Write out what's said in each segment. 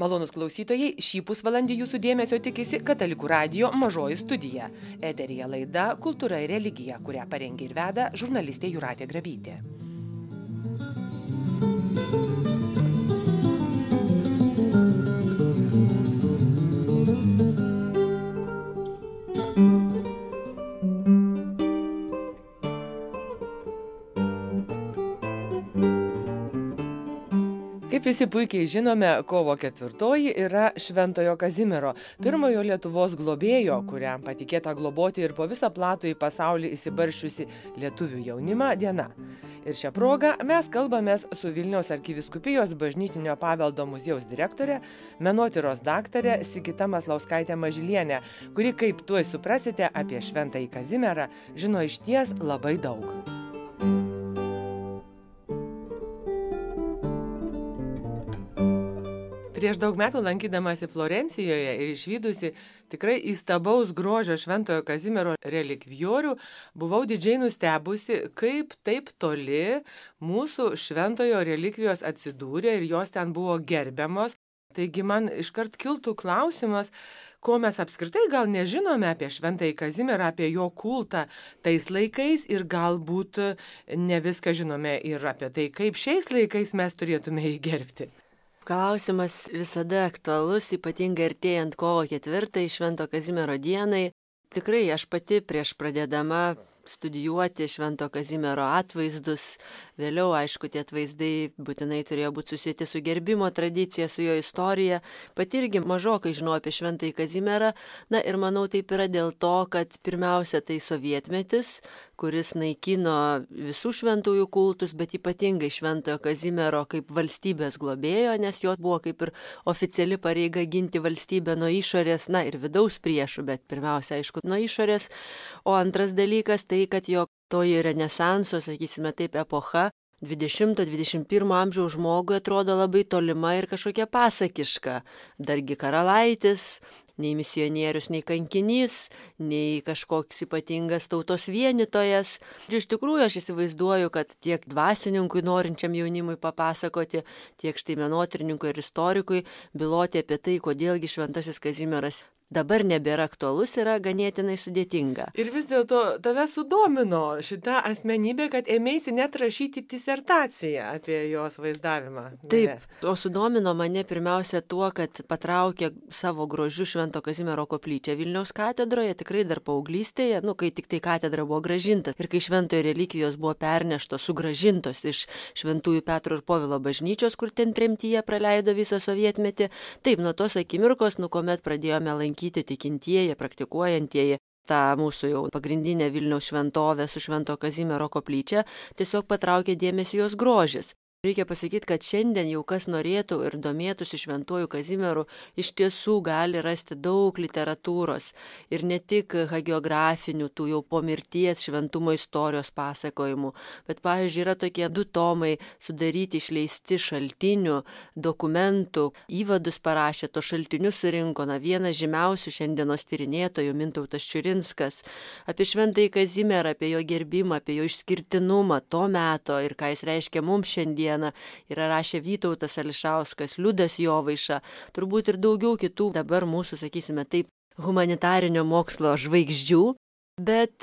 Malonūs klausytojai, šį pusvalandį jūsų dėmesio tikisi Katalikų radijo mažoji studija. Eteryje laida Kultūra ir religija, kurią parengė ir veda žurnalistė Jūratė Grabytė. Kaip visi puikiai žinome, kovo 4 yra Šventojo Kazimiero, pirmojo Lietuvos globėjo, kuriam patikėta globoti ir po visą platų į pasaulį įsibarščiusi lietuvių jaunimą diena. Ir šią progą mes kalbamės su Vilniaus arkivyskupijos bažnytinio paveldo muziejaus direktorė, menotyros daktarė Sigita Maslauskaitė Mažylienė, kuri, kaip tuoj suprasite, apie Šventąjį Kazimierą žino išties labai daug. Prieš daug metų lankydamasi Florencijoje ir išvydusi tikrai įstabaus grožio Šventojo Kazimiero relikvijorių, buvau didžiai nustebusi, kaip taip toli mūsų šventojo relikvijos atsidūrė ir jos ten buvo gerbiamos. Taigi man iškart kiltų klausimas, ko mes apskritai gal nežinome apie Šventąjį Kazimierą, apie jo kultą tais laikais ir galbūt ne viską žinome ir apie tai, kaip šiais laikais mes turėtume jį gerbti. Klausimas visada aktualus, ypatingai artėjant kovo 4 Švento Kazimiero dienai. Tikrai aš pati prieš pradėdama studijuoti Švento Kazimiero atvaizdus, vėliau, aišku, tie atvaizdai būtinai turėjo būti susieti su gerbimo tradicija, su jo istorija. Pati irgi mažokai žinau apie Šventąjį Kazimierą. Na ir manau taip yra dėl to, kad pirmiausia tai sovietmetis, kuris naikino visų šventųjų kultus, bet ypatingai Šventojo Kazimiero kaip valstybės globėjo, nes jo buvo kaip ir oficiali pareiga ginti valstybę nuo išorės, na ir vidaus priešų, bet pirmiausia, aišku, nuo išorės. O antras dalykas tai, kad jo toji renesanso, sakysime taip, epocha 20-21 amžiaus žmogui atrodo labai tolima ir kažkokia pasakiška. Dargi karalaitis, nei misionierius, nei kankinys, nei kažkoks ypatingas tautos vienytojas. Ir iš tikrųjų aš įsivaizduoju, kad tiek dvasininkui norinčiam jaunimui papasakoti, tiek štai menotyrininkui ir istorikui byloti apie tai, kodėlgi Šventasis Kazimieras dabar nebėra aktualus, yra ganėtinai sudėtinga. Ir vis dėlto tave sudomino šita asmenybė, kad ėmėsi net rašyti disertaciją apie jos vaizdavimą. Taip, o sudomino mane pirmiausia tuo, kad patraukė savo grožiu Švento Kazimiero koplyčią Vilniaus katedroje, tikrai dar paauglystėje, kai tik tai katedra buvo grąžinta ir kai šventojo relikvijos buvo perneštos, sugrąžintos iš Šventųjų Petro ir Povilo bažnyčios, kur ten tremtyje praleido visą sovietmetį. Taip, nuo tos akimirkos, kuomet pradėjome lankyti tikintieji, praktikuojantieji tą mūsų jau pagrindinę Vilniaus šventovę su Švento Kazimiero koplyčia, tiesiog patraukė dėmesį jos grožis. Reikia pasakyti, kad šiandien jau kas norėtų ir domėtųsi Šventuoju Kazimieru, iš tiesų gali rasti daug literatūros ir ne tik hagiografinių, tų jau po mirties šventumo istorijos pasakojimų, bet, pavyzdžiui, yra tokie 2 tomai sudaryti, išleisti šaltinių, dokumentų, įvadus parašė, to šaltinius surinko, vienas žymiausių šiandienos tyrinėtojų Mintautas Čiurinskas, apie Šventąjį Kazimierą, apie jo gerbimą, apie jo išskirtinumą to meto ir ką jis reiškia mums šiandien. Yra rašę Vytautas Ališauskas, Liudas Jovaiša, turbūt ir daugiau kitų dabar mūsų, sakysime taip, humanitarinio mokslo žvaigždžių. Bet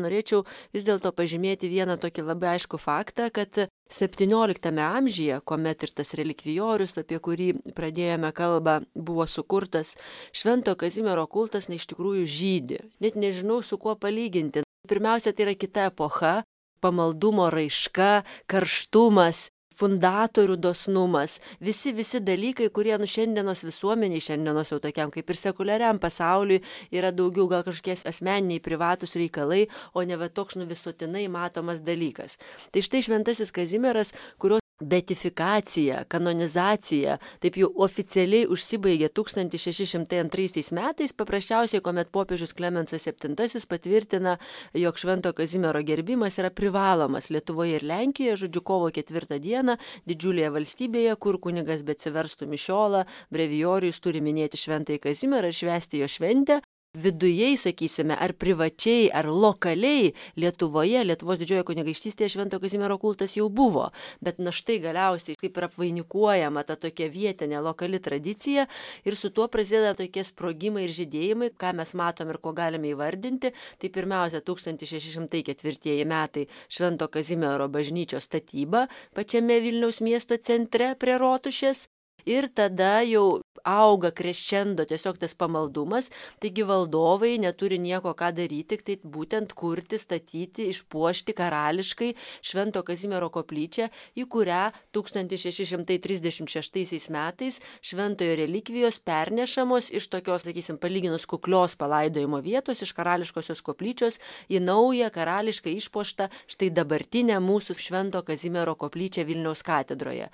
norėčiau vis dėlto pažymėti vieną tokį labai aiškų faktą, kad 17 amžiuje, kuomet ir tas relikvijorius, apie kurį pradėjome kalbą, buvo sukurtas, Švento Kazimiero kultas iš tikrųjų žydi. Net nežinau, su kuo palyginti. Pirmiausia, tai yra kita epocha, pamaldumo raiška, karštumas, fundatorių dosnumas, visi dalykai, kurie šiandienos visuomeniai, šiandienos jau tokiam kaip ir sekuliariam pasauliui yra daugiau gal kažkokie asmeniniai privatus reikalai, o ne toks visuotinai matomas dalykas. Tai štai Šventasis Kazimieras, kurio beatifikacija, kanonizacija taip jau oficialiai užsibaigė 1602 metais, paprasčiausiai, kuomet popiežius Klemensas VII patvirtina, jog Švento Kazimiero gerbimas yra privalomas Lietuvoje ir Lenkijoje, žodžiu, kovo 4 dieną, didžiulėje valstybėje, kur kunigas beatsiverstų mišiolą, brevijorijus turi minėti Šventąjį Kazimierą ir švęsti jo šventę. vidujei, sakysime, ar privačiai, ar lokaliai Lietuvoje, Lietuvos didžiojoje kunigaikštystėje Švento Kazimiero kultas jau buvo. Bet na štai galiausiai kaip ir apvainikuojama ta tokia vietinė lokali tradicija ir su tuo prasideda tokie sprogimai ir žydėjimai, ką mes matom ir ko galime įvardinti. Tai pirmiausia 1604 metai Švento Kazimiero bažnyčios statyba pačiame Vilniaus miesto centre prie Rotušės. Ir tada jau auga kreščendo tiesiog tas pamaldumas, taigi valdovai neturi nieko ką daryti, tik tai būtent kurti, statyti, išpuošti karališkai Švento Kazimiero koplyčią, į kurią 1636 metais šventojo relikvijos pernešamos iš tokios, sakysim, palyginus kuklios palaidojimo vietos, iš karališkosios koplyčios į naują karališkai išpuoštą štai dabartinę mūsų Švento Kazimiero koplyčią Vilniaus katedroje.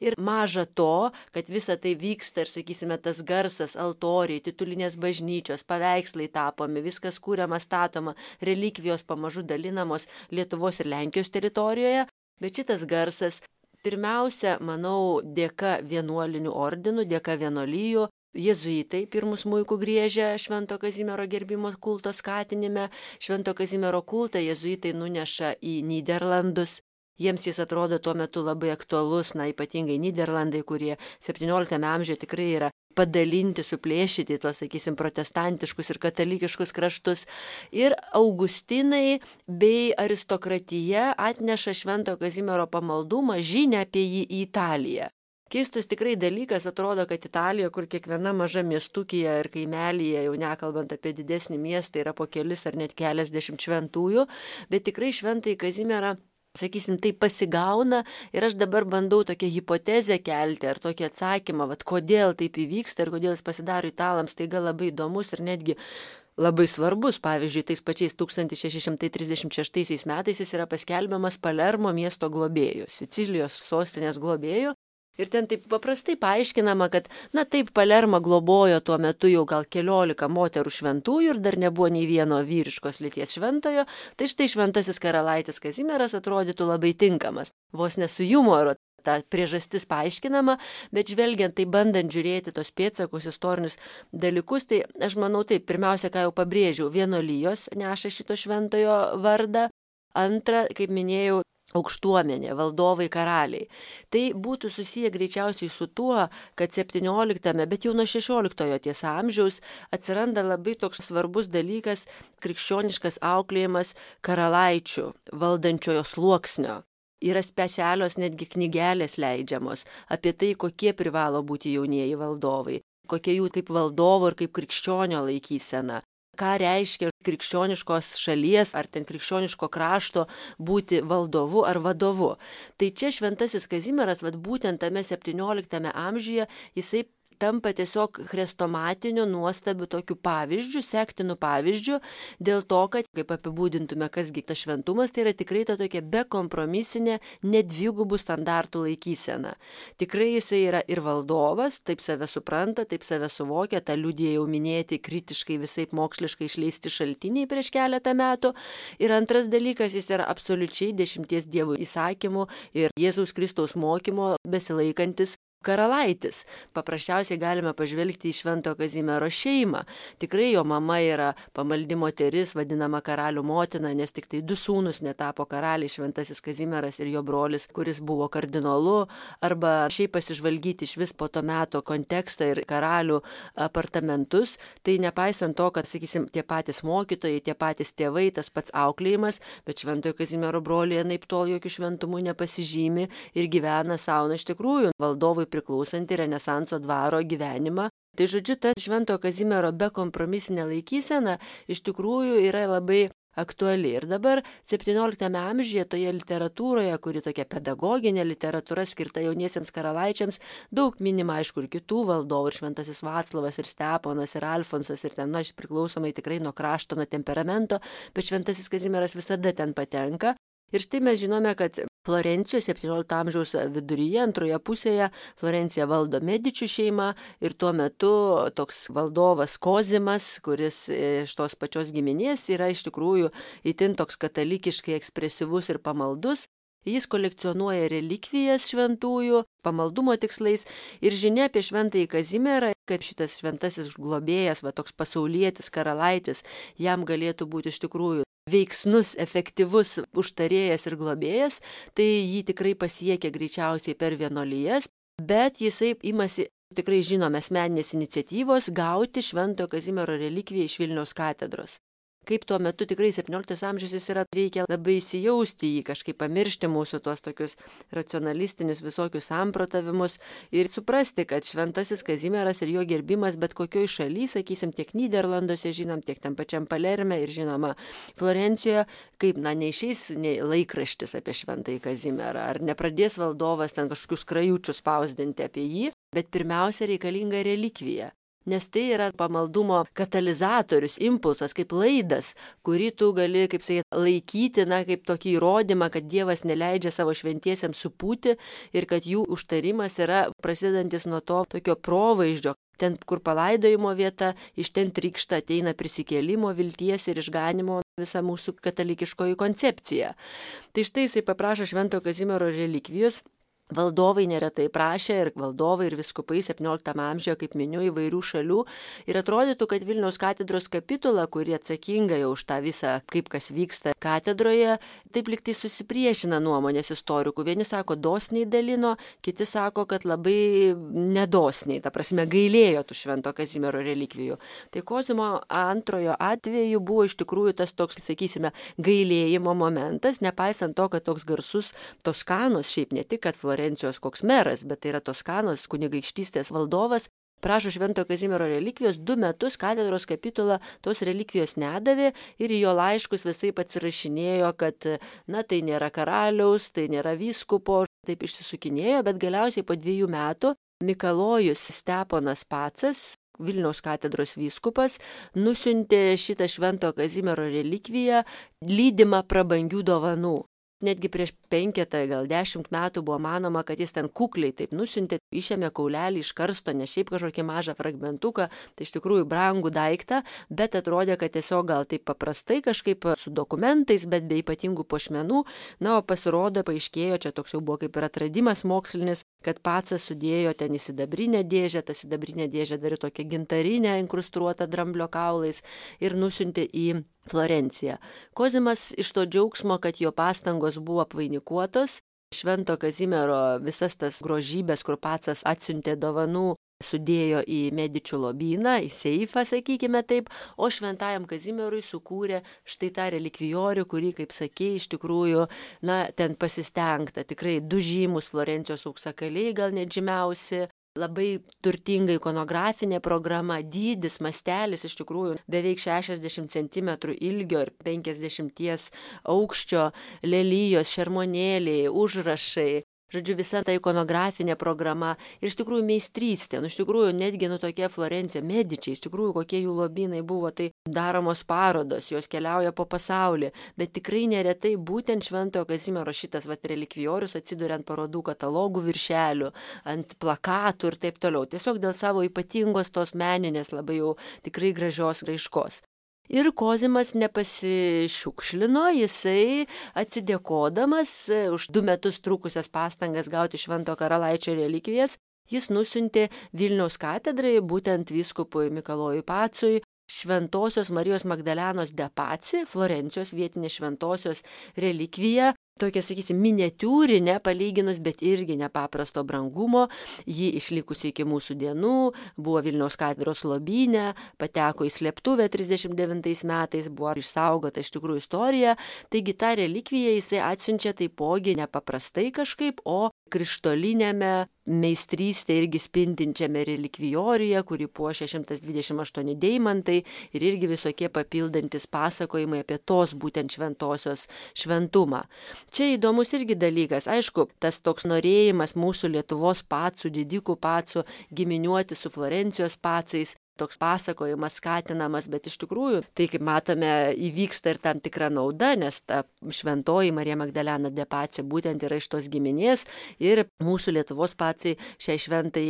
Ir maža to, kad visa tai vyksta ir, sakysime, tas garsas, altoriai, titulinės bažnyčios, paveikslai tapomi, viskas kūriama, statoma, relikvijos pamažu dalinamos Lietuvos ir Lenkijos teritorijoje, bet šitas garsas pirmiausia, manau, dėka vienuolinių ordinų, dėka vienuolijų, jėzuitai pirmus smuikų griežia Švento Kazimiero gerbimo kulto skatinime, Švento Kazimiero kultą jėzuitai nuneša į Nyderlandus. Jiems jis atrodo tuo metu labai aktualus, ypatingai Nyderlandai, kurie 17 amžiuje tikrai yra padalinti, suplėšyti tuos, sakysim, protestantiškus ir katalikiškus kraštus. Ir Augustinai bei aristokratija atneša Švento Kazimiero pamaldumą, žinią apie jį į Italiją. Keistas tikrai dalykas, atrodo, kad Italija, kur kiekviena maža miestukija ir kaimelyje, jau nekalbant apie didesnį miestą, yra po kelis ar net keliasdešimt šventųjų, bet tikrai Šventąjį Kazimierą, sakysim, tai pasigauna ir aš dabar bandau tokią hipotezę kelti ar tokį atsakymą, kodėl taip įvyksta ir kodėl jis pasidaro italams, taiga labai įdomus ir netgi labai svarbus. Pavyzdžiui, tais pačiais 1636 metais jis yra paskelbiamas Palermo miesto globėjų, Sicilijos sostinės globėjų. Ir ten taip paprastai paaiškinama, kad, taip Palermą globojo tuo metu jau gal 14 moterų šventųjų ir dar nebuvo nei vieno vyriškos lyties šventojo, tai štai šventasis karalaitis Kazimieras atrodytų labai tinkamas. Vos ne su jumoru ta priežastis paaiškinama, bet žvelgiant, tai bandant žiūrėti tos pėdsakus, istorinius dalykus, tai aš manau taip, pirmiausia, ką jau pabrėžiau, vienuolijos neša šito šventojo vardą, antra, kaip minėjau, aukštuomenė, valdovai, karaliai. Tai būtų susiję greičiausiai su tuo, kad 17, bet jau nuo 16 tiesa amžiaus atsiranda labai toks svarbus dalykas krikščioniškas auklėjimas karalaičių, valdančiojo sluoksnio. Yra specialios netgi knygelės leidžiamos apie tai, kokie privalo būti jaunieji valdovai, kokie jų kaip valdovo ir kaip krikščionio laikysena. Ką reiškia krikščioniškos šalies ar ten krikščioniško krašto būti valdovu ar vadovu. Tai čia Šventasis Kazimieras, būtent tame 17 amžiuje, jisai tampa tiesiog chrestomatiniu nuostabiu tokiu pavyzdžiu, sektinu pavyzdžiu, dėl to, kad, kaip apibūdintume, kasgi tas šventumas, tai yra tikrai ta tokia bekompromisinė, nedvigubų standartų laikysena. Tikrai jisai yra ir valdovas, taip save supranta, taip save suvokia, tą liudija jau minėti kritiškai visaip moksliškai išleisti šaltiniai prieš keletą metų. Ir antras dalykas, jis yra absoliučiai 10 dievų įsakymų ir Jėzaus Kristaus mokymo besilaikantis karalaitis. Paprasčiausiai galime pažvelgti į Švento Kazimiero šeimą. Tikrai jo mama yra pamaldi moteris, vadinama karalių motina, nes tik tai 2 sūnus netapo karaliai, Šventasis Kazimieras ir jo brolis, kuris buvo kardinolu, arba šiaip pasižvalgyti iš vis po to meto kontekstą ir karalių apartamentus. Tai nepaisant to, kad, sakysim, tie patys mokytojai, tie patys tėvai, tas pats auklėjimas, bet Šventojo Kazimiero broliai anaiptol jokių šventumų nepasižymi ir gyvena savo, iš tikrųjų, valdovui priklausantį Renesanso dvaro gyvenimą. Tai žodžiu, ta Šventojo Kazimiero bekompromisinė laikysena iš tikrųjų yra labai aktuali. Ir dabar 17 amžiuje toje literatūroje, kuri tokia pedagoginė literatūra skirta jauniesiems karalaičiams, daug minima, aišku, ir kitų valdovų, ir Šventasis Vaclovas, ir Steponas, ir Alfonsas, ir ten, priklausomai tikrai nuo krašto, nuo temperamento, bet Šventasis Kazimieras visada ten patenka. Ir štai mes žinome, kad Florencijos 17 amžiaus viduryje, antroje pusėje, Florenciją valdo Medičių šeima ir tuo metu toks valdovas Kozimas, kuris iš tos pačios giminės yra iš tikrųjų itin toks katalikiškai ekspresyvus ir pamaldus. Jis kolekcionuoja relikvijas šventųjų, pamaldumo tikslais ir žinia apie šventąjį Kazimierą, kad šitas šventasis globėjas, toks pasaulietis, karalaitis, jam galėtų būti iš tikrųjų veiksnus, efektyvus užtarėjas ir globėjas, tai jį tikrai pasiekia greičiausiai per vienuolijas, bet jisai imasi tikrai žinome asmeninės iniciatyvos gauti šventojo Kazimiero relikviją iš Vilniaus katedros. Kaip tuo metu tikrai 17 amžius jis yra, reikia labai įsijausti į kažkaip pamiršti mūsų tuos tokius racionalistinius visokius samprotavimus ir suprasti, kad šventasis Kazimieras ir jo gerbimas bet kokioj šaly, sakysim, tiek Nyderlanduose žinom, tiek tam pačiam Palerme ir žinoma Florencijoje, kaip, neišeis laikraštis apie šventąjį Kazimierą, ar nepradės valdovas ten kažkokius krajučius spausdinti apie jį, bet pirmiausia reikalinga relikvija. Nes tai yra pamaldumo katalizatorius, impulsas, kaip laidas, kurį tu gali, kaip laikyti, kaip tokį įrodymą, kad Dievas neleidžia savo šventiesiems supūti ir kad jų užtarimas yra prasidedantis nuo to tokio provaizdžio. Ten, kur palaidojimo vieta, iš ten trykšta ateina prisikėlimo, vilties ir išganimo visa mūsų katalikiškoji koncepcija. Tai štai jisai paprašo šventojo Kazimiero relikvijos. Valdovai neretai prašė ir valdovai ir viskupai 17 amžiuje, kaip miniu, įvairių šalių. Ir atrodytų, kad Vilniaus katedros kapitula, kuri atsakinga jau už tą visą, kaip kas vyksta katedroje, taip liktai susipriešina nuomonės istorikų. Vieni sako, dosniai dalino, kiti sako, kad labai nedosniai, ta prasme, gailėjo tų švento Kazimiero relikvijų. Tai Kozimo antrojo atveju buvo iš tikrųjų tas toks, sakysime, gailėjimo momentas, nepaisant to, kad toks garsus Toskanos, šiaip ne tik, kad Florencijos koks meras, bet tai yra Toskanos kunigaikštystės valdovas, prašo šventojo Kazimiero relikvijos, 2 metus katedros kapitula tos relikvijos nedavė ir į jo laiškus visai atsirašinėjo, kad, tai nėra karaliaus, tai nėra vyskupo, taip išsisukinėjo, bet galiausiai po 2 metų Mikalojus Steponas Pacas, Vilniaus katedros vyskupas, nusiuntė šitą šventojo Kazimiero relikviją lydimą prabangių dovanų. Netgi prieš 5, gal 10 metų buvo manoma, kad jis ten kukliai taip nusiuntė, išėmė kaulelį iš karsto, ne šiaip kažkokį mažą fragmentuką, tai iš tikrųjų brangų daiktą, bet atrodė, kad tiesiog gal taip paprastai kažkaip su dokumentais, bet be ypatingų puošmenų, o pasirodo, paaiškėjo, čia toks jau buvo kaip ir atradimas mokslinis, kad Pacas sudėjo ten į sidabrinę dėžę, ta sidabrinė dėžė dar tokia gintarinė, inkrustuota dramblio kaulais ir nusiuntė į Florenciją. Kozimas iš to džiaugsmo, kad jo pastangos buvo apvainikuotos, švento Kazimiero visas tas grožybės, kur Pacas atsiuntė dovanų, sudėjo į Medičių lobyną, į seifą, sakykime taip, o šventajam Kazimierui sukūrė štai tą relikvijorių, kurį, kaip sakė, iš tikrųjų, ten pasistengta. Tikrai 2 žymus Florencijos auksakaliai, gal net žymiausi. Labai turtinga ikonografinė programa, dydis, mastelis, iš tikrųjų beveik 60 cm ilgio ir 50 aukščio, lelijos, šermonėliai, užrašai. Žodžiu, visa ta ikonografinė programa ir iš tikrųjų meistrystė, iš tikrųjų netgi tokia Florencija, Medičiai, iš tikrųjų kokie jų lobynai buvo, tai daromos parodos, jos keliauja po pasaulį, bet tikrai neretai būtent šventojo Kazimiero šitas relikvijorius atsiduria ant parodų katalogų viršelių, ant plakatų ir taip toliau, tiesiog dėl savo ypatingos tos meninės labai jau tikrai gražios raiškos. Ir Kozimas nepasišiukšlino, jisai atsidėkodamas už 2 metus trukusias pastangas gauti švento karalaičio relikvijas, jis nusiuntė Vilniaus katedrai, būtent vyskupui Mikalojui Pacui, Šventosios Marijos Magdalenos de Paci, Florencijos vietinės šventosios relikviją, tokia, sakysim, miniatiūrinė palyginus, bet irgi nepaprasto brangumo, ji išlikusi iki mūsų dienų, buvo Vilniaus katedros lobyne, pateko į slėptuvę 39 metais, buvo išsaugota iš tikrųjų istorija, taigi tą relikviją jisai atsiunčia taipogi nepaprastai kažkaip, o krištolinėme meistrystė irgi spindinčiame relikvijoriuje, kurį puošia 128 deimantai ir irgi visokie papildantis pasakojimai apie tos būtent šventosios šventumą. Čia įdomus irgi dalykas, aišku, tas toks norėjimas mūsų Lietuvos pacų, didikų pacų giminiuoti su Florencijos pacais, toks pasakojimas skatinamas, bet iš tikrųjų, tai kaip matome, įvyksta ir tam tikra nauda, nes ta šventoji Marija Magdalena de Pacė būtent yra iš tos giminės ir mūsų Lietuvos pacai šiai šventai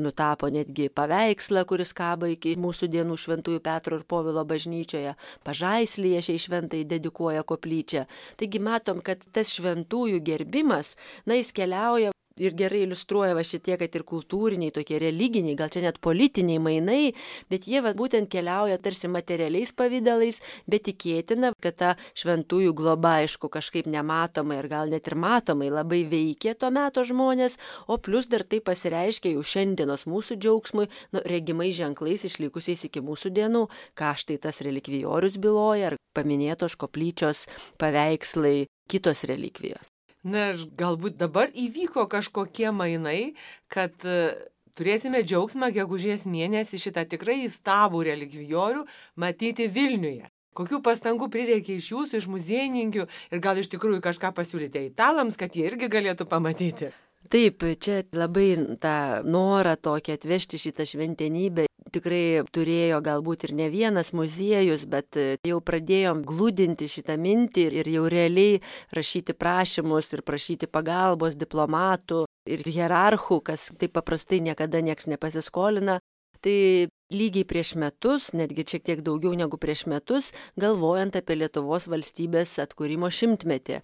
nutapo netgi paveikslą, kuris kaba iki mūsų dienų Šventųjų Petro ir Povilo bažnyčioje, Pažaislyje šiai šventai dedikuoja koplyčią. Taigi matom, kad tas šventųjų gerbimas, jis keliauja ir gerai iliustruoja šitie, kad ir kultūriniai, tokie religiniai, gal čia net politiniai mainai, bet jie būtent keliauja tarsi materialiais pavydalais, bet tikėtina, kad ta šventųjų globa, aišku, kažkaip nematomai ir gal net ir matomai labai veikė to meto žmonės, o plus dar tai pasireiškia jau šiandienos mūsų džiaugsmui, regimais ženklais išlikusiais iki mūsų dienų, ką štai tas relikvijorius byloja, ar paminėtos koplyčios paveikslai, kitos relikvijos. Na ir galbūt dabar įvyko kažkokie mainai, kad turėsime džiaugsmą gegužės mėnesį šitą tikrai įstabų relikvijorių matyti Vilniuje. Kokių pastangų prireikė iš jūsų, iš muziejininkių ir gal iš tikrųjų kažką pasiūlyti italams, kad jie irgi galėtų pamatyti? Taip, čia labai tą norą tokį atvežti šitą šventenybę tikrai turėjo galbūt ir ne vienas muziejus, bet jau pradėjom glūdinti šitą mintį ir jau realiai rašyti prašymus ir prašyti pagalbos diplomatų ir hierarchų, kas taip paprastai niekada nieks nepasiskolina. Tai lygiai prieš metus, netgi šiek tiek daugiau negu prieš metus, galvojant apie Lietuvos valstybės atkūrimo 100-metį.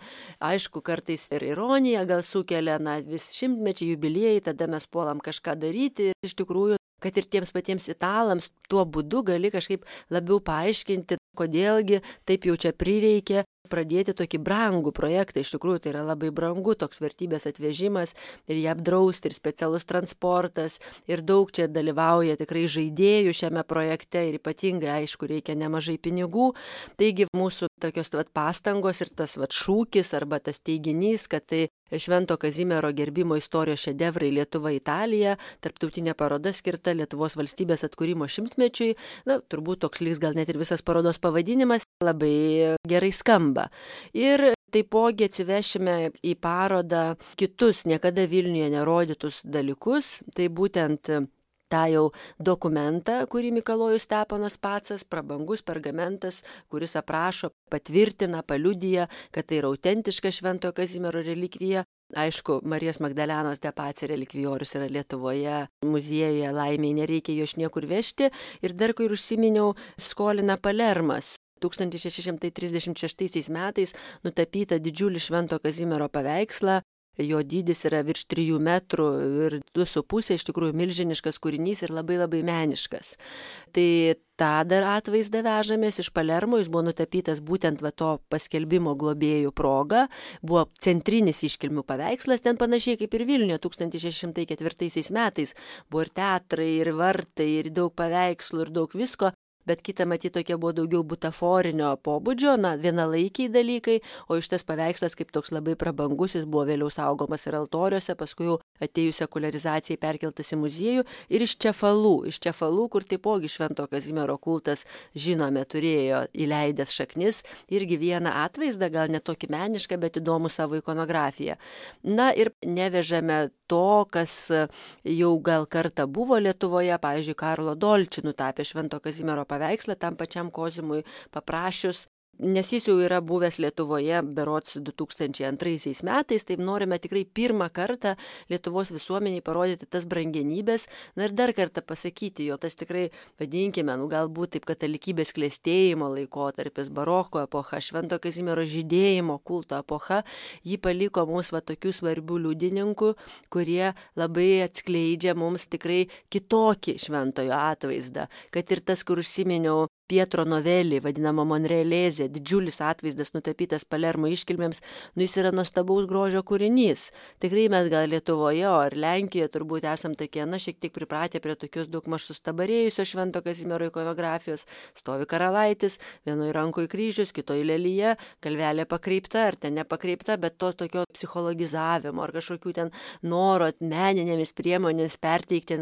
Aišku, kartais ir ironija gal sukelia, vis 100-mečiai jubiliejai, tada mes puolam kažką daryti ir iš tikrųjų, kad ir tiems patiems italams tuo būdu gali kažkaip labiau paaiškinti, kodėlgi taip jau čia prireikė pradėti tokį brangų projektą. Iš tikrųjų, tai yra labai brangu, toks vertybės atvežimas ir jį apdrausti, ir specialus transportas, ir daug čia dalyvauja tikrai žaidėjų šiame projekte ir ypatingai, aišku, reikia nemažai pinigų. Taigi mūsų tokios pastangos ir tas šūkis arba tas teiginys, kad tai Švento Kazimiero gerbimo istorijos šedevrai Lietuva Italija, tarptautinė paroda skirta Lietuvos valstybės atkūrimo 100-mečiui, turbūt toks liks gal net ir visas parodos pavadinimas, labai gerai skamba. Ir taipogi atsivešime į parodą kitus niekada Vilniuje nerodytus dalykus, tai būtent tą jau dokumentą, kurį Mikalojus Steponas Pacas, prabangus pergamentas, kuris aprašo, patvirtina, paliudija, kad tai yra autentiška Šventojo Kazimiero relikvija. Aišku, Marijos Magdalenos de Pacė relikvijorius yra Lietuvoje, muziejuje, laimiai nereikia jo iš niekur vežti. Ir dar, kai užsiminiau, skolina Palermas. 1636 metais nutapyta didžiulį Švento Kazimiero paveikslą. Jo dydis yra virš 3 metrų ir 2,5, iš tikrųjų milžiniškas kūrinys ir labai labai meniškas. Tai tą dar atvaizdą vežamės iš Palermo, jis buvo nutapytas būtent to paskelbimo globėjų proga, buvo centrinis iškilmių paveikslas, ten panašiai kaip ir Vilniuje 1604 metais, buvo ir teatrai, ir vartai, ir daug paveikslų, ir daug visko. Bet kita matyti tokie buvo daugiau butaforinio pobūdžio, vienalaikiai dalykai, o iš tas paveikslas kaip toks labai prabangus, jis buvo vėliau saugomas ir altoriuose, paskui jau atėjus sekuliarizacijai perkeltas į muziejų ir iš Čefalų, kur taipogi Švento Kazimiero kultas, žinome, turėjo įleidęs šaknis, irgi vieną atvaizdą, gal ne tokį menišką, bet įdomų savo ikonografiją. Ir nevežame to, kas jau gal kartą buvo Lietuvoje, pavyzdžiui, Karlo Dolči nutapė Švento Kazimiero paveikslą tam pačiam Kozimui paprašius, nes jis jau yra buvęs Lietuvoje berods 2002 metais, taip norime tikrai pirmą kartą Lietuvos visuomeniai parodyti tas brangenybės, ir dar kartą pasakyti, jo tas tikrai, vadinkime, galbūt taip katalikybės klestėjimo laikotarpis, baroko epocha, Švento Kazimiero žydėjimo kulto epocha, jį paliko mums tokių svarbių liudininkų, kurie labai atskleidžia mums tikrai kitokį šventojo atvaizdą, kad ir tas, kur užsiminiau, Pietro Novelį, vadinama Monrealezė, didžiulis atvaizdas nutapytas Palermo iškilmėms, jis yra nuostabaus grožio kūrinys. Tikrai mes gal Lietuvoje, ar Lenkijoje turbūt esam tokie, šiek tiek pripratę prie tokios daugmaž sustabarėjusio Švento Kazimiero ikonografijos. Stovi karalaitis, vienoje rankoje kryžius, kitoje lelyje, galvelė pakreipta ar ten nepakreipta, bet to tokio psichologizavimo ar kažkokių ten noro meninėmis priemonėmis perteikti,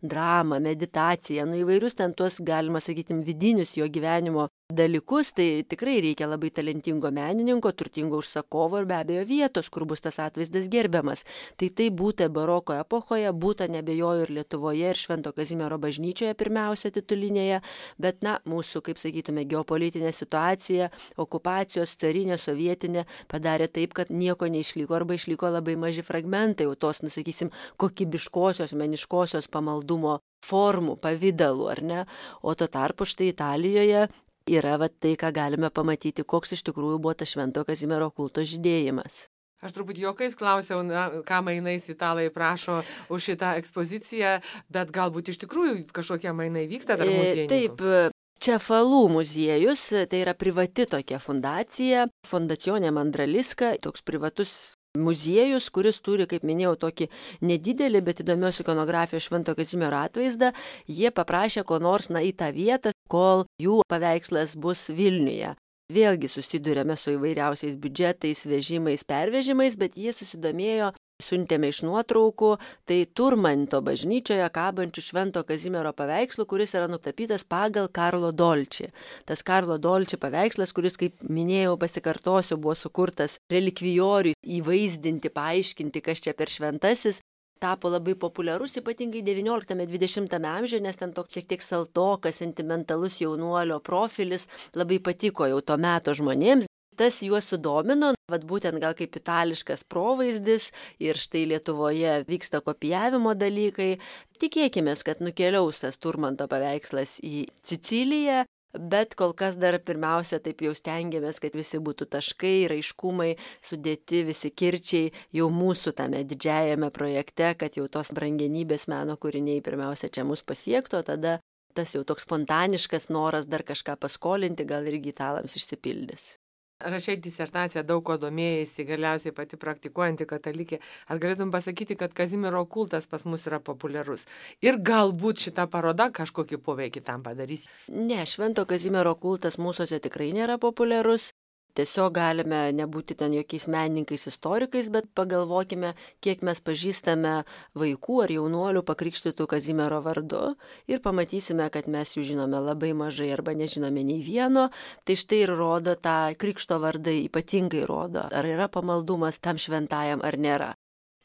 dramą, meditaciją, įvairius ten tuos, galima sakyti, vidinius jo gyvenimo dalykus, tai tikrai reikia labai talentingo menininko, turtingo užsakovo ir be abejo vietos, kur bus tas atvaizdas gerbiamas. Tai būta baroko epochoje, būta nebejoju ir Lietuvoje, ir Švento Kazimiero bažnyčioje pirmiausia titulinėje, bet mūsų, kaip sakytume, geopolitinė situacija, okupacijos, carinė, sovietinė padarė taip, kad nieko neišliko arba išliko labai maži fragmentai, jau tos, sakysim, kokybiškosios, meniškosios pamaldumo formų, pavydalų, ar ne? O tuo tarpu štai Italijoje yra tai, ką galime pamatyti, koks iš tikrųjų buvo tas Švento Kazimiero kulto žydėjimas. Aš truputį juokais klausiau, ką mainais italai prašo už šitą ekspoziciją, bet galbūt iš tikrųjų kažkokie mainai vyksta dar muziejininkų. Taip, Čefalų muziejus, tai yra privati tokia fundacija, Fondazione Mandraliska, toks privatus muziejus, kuris turi, kaip minėjau, tokį nedidelį, bet įdomios ikonografijos Švento Kazimiero atvaizdą. Jie paprašė ko nors į tą vietą, kol jų paveikslas bus Vilniuje. Vėlgi susidurėme su įvairiausiais biudžetais, vežimais, pervežimais, bet jie susidomėjo, siuntėme iš nuotraukų, tai Turmanto bažnyčioje kabančių Švento Kazimiero paveikslų, kuris yra nutapytas pagal Karlo Dolči. Tas Karlo Dolči paveikslas, kuris, kaip minėjau, pasikartosiu, buvo sukurtas relikvijoriui įvaizdinti, paaiškinti, kas čia per šventasis, tapo labai populiarus, ypatingai XIX-XX amžiuje, nes ten toks šiek tiek saltokas, sentimentalus jaunuolio profilis labai patiko jau to meto žmonėms. Tas juos sudomino, būtent gal kaip itališkas provaizdis ir štai Lietuvoje vyksta kopijavimo dalykai. Tikėkime, kad nukeliaus tas Turmanto paveikslas į Siciliją, bet kol kas dar pirmiausia taip jau stengiamės, kad visi būtų taškai, raiškumai, sudėti visi kirčiai jau mūsų tame didžiajame projekte, kad jau tos brangenybės meno kūriniai pirmiausia čia mus pasiektų, o tada tas jau toks spontaniškas noras dar kažką paskolinti gal irgi italams išsipildys. Rašai disertaciją, daug ko domėjaisi, galiausiai pati praktikuojanti katalikė. Ar galėtum pasakyti, kad Kazimiero kultas pas mus yra populiarus? Ir galbūt šita paroda kažkokį poveikį tam padarys? Ne, Švento Kazimiero kultas mūsųse tikrai nėra populiarus. Tiesiog galime nebūti ten jokiais menininkais, istorikais, bet pagalvokime, kiek mes pažįstame vaikų ar jaunuolių pakrikštytų Kazimiero vardu ir pamatysime, kad mes jų žinome labai mažai arba nežinome nei vieno. Tai štai ir rodo tą krikšto vardai, ypatingai rodo, ar yra pamaldumas tam šventajam ar nėra.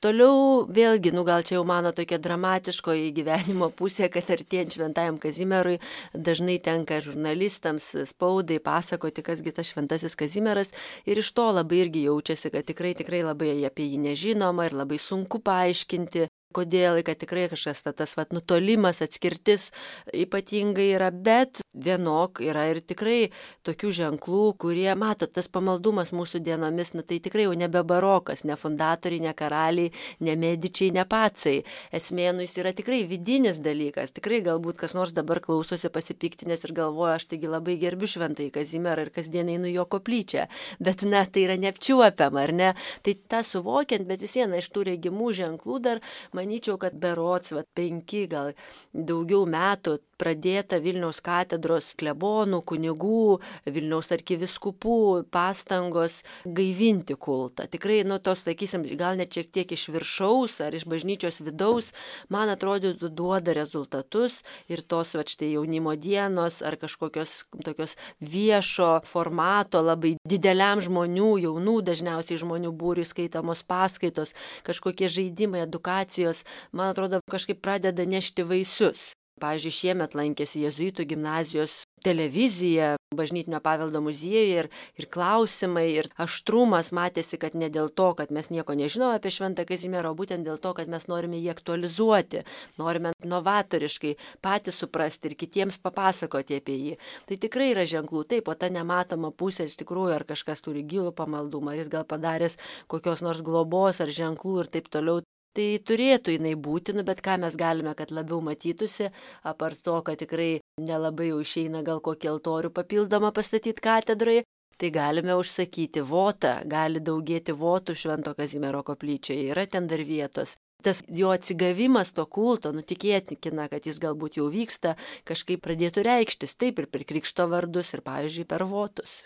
Toliau vėlgi, gal čia jau mano tokia dramatiškoji gyvenimo pusė, kad artėjant Šventajam Kazimierui dažnai tenka žurnalistams, spaudai pasakoti, kasgi tas Šventasis Kazimieras ir iš to labai irgi jaučiasi, kad tikrai labai apie jį nežinoma ir labai sunku paaiškinti. Kodėl, kad tikrai kažkas tas nutolimas, atskirtis ypatingai yra, bet vienok yra ir tikrai tokių ženklų, kurie, matot, tas pamaldumas mūsų dienomis, tai tikrai jau nebe barokas, ne fundatoriai, ne karaliai, ne medičiai, ne pacai. Esmė, jis yra tikrai vidinis dalykas. Tikrai galbūt kas nors dabar klausosi pasipiktinės ir galvoja, aš taigi labai gerbiu Šventąjį Kazimierą ir kasdien einu jo koplyčią. Bet, tai yra neapčiuopiama, ar ne? Tai tą suvokiant, bet vis viena iš tų regimų ženklų dar manyčiau, kad berods 5 gal daugiau metų pradėta Vilniaus katedros klebonų, kunigų, Vilniaus arkivyskupų pastangos gaivinti kultą. Tikrai, tos, sakysim, gal net šiek tiek iš viršaus ar iš bažnyčios vidaus, man atrodytų, duoda rezultatus ir tos, štai jaunimo dienos ar kažkokios tokios viešo formato, labai dideliam žmonių, jaunų dažniausiai žmonių būriui skaitamos paskaitos, kažkokie žaidimai, edukacijos, man atrodo, kažkaip pradeda nešti vaisius. Pavyzdžiui, šiemet lankėsi Jėzuitų gimnazijos televizija Bažnytinio paveldo muziejuje ir klausimai, ir aštrumas matėsi, kad ne dėl to, kad mes nieko nežinome apie Šventą Kazimierą, o būtent dėl to, kad mes norime jį aktualizuoti, norime novatoriškai patys suprasti ir kitiems papasakoti apie jį. Tai tikrai yra ženklų, taip, o ta nematoma pusė iš tikrųjų, ar kažkas turi gilų pamaldumą, ar jis gal padaręs kokios nors globos ar ženklų ir taip toliau. Tai turėtų jinai būti, bet ką mes galime, kad labiau matytųsi, apart to, kad tikrai nelabai jau išeina gal kokį altorių papildomą pastatyti katedroje, tai galime užsakyti votą, gali daugėti votų Švento Kazimiero koplyčioje, yra ten dar vietos. Tas jo atsigavimas to kulto, tikėtina, kad jis galbūt jau vyksta, kažkaip pradėtų reikštis, taip ir per krikšto vardus ir, pavyzdžiui, per votus.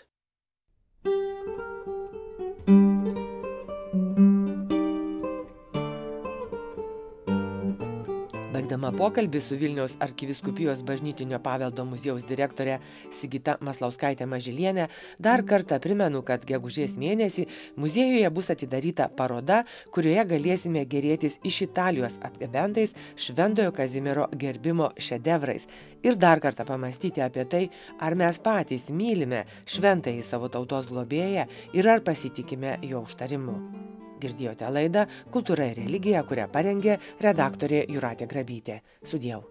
Baigdama pokalbį su Vilniaus arkivyskupijos bažnytinio paveldo muziejaus direktorė Sigita Maslauskaitė Mažylienė, dar kartą primenu, kad gegužės mėnesį muziejuje bus atidaryta paroda, kurioje galėsime gėrėtis iš Italijos atgabentais Šventojo Kazimiero gerbimo šedevrais ir dar kartą pamastyti apie tai, ar mes patys mylime šventąjį savo tautos globėją ir ar pasitikime jo užtarimu. Girdėjote laidą Kultūra ir religija, kurią parengė redaktorė Jūratė Grabytė. Sudieu.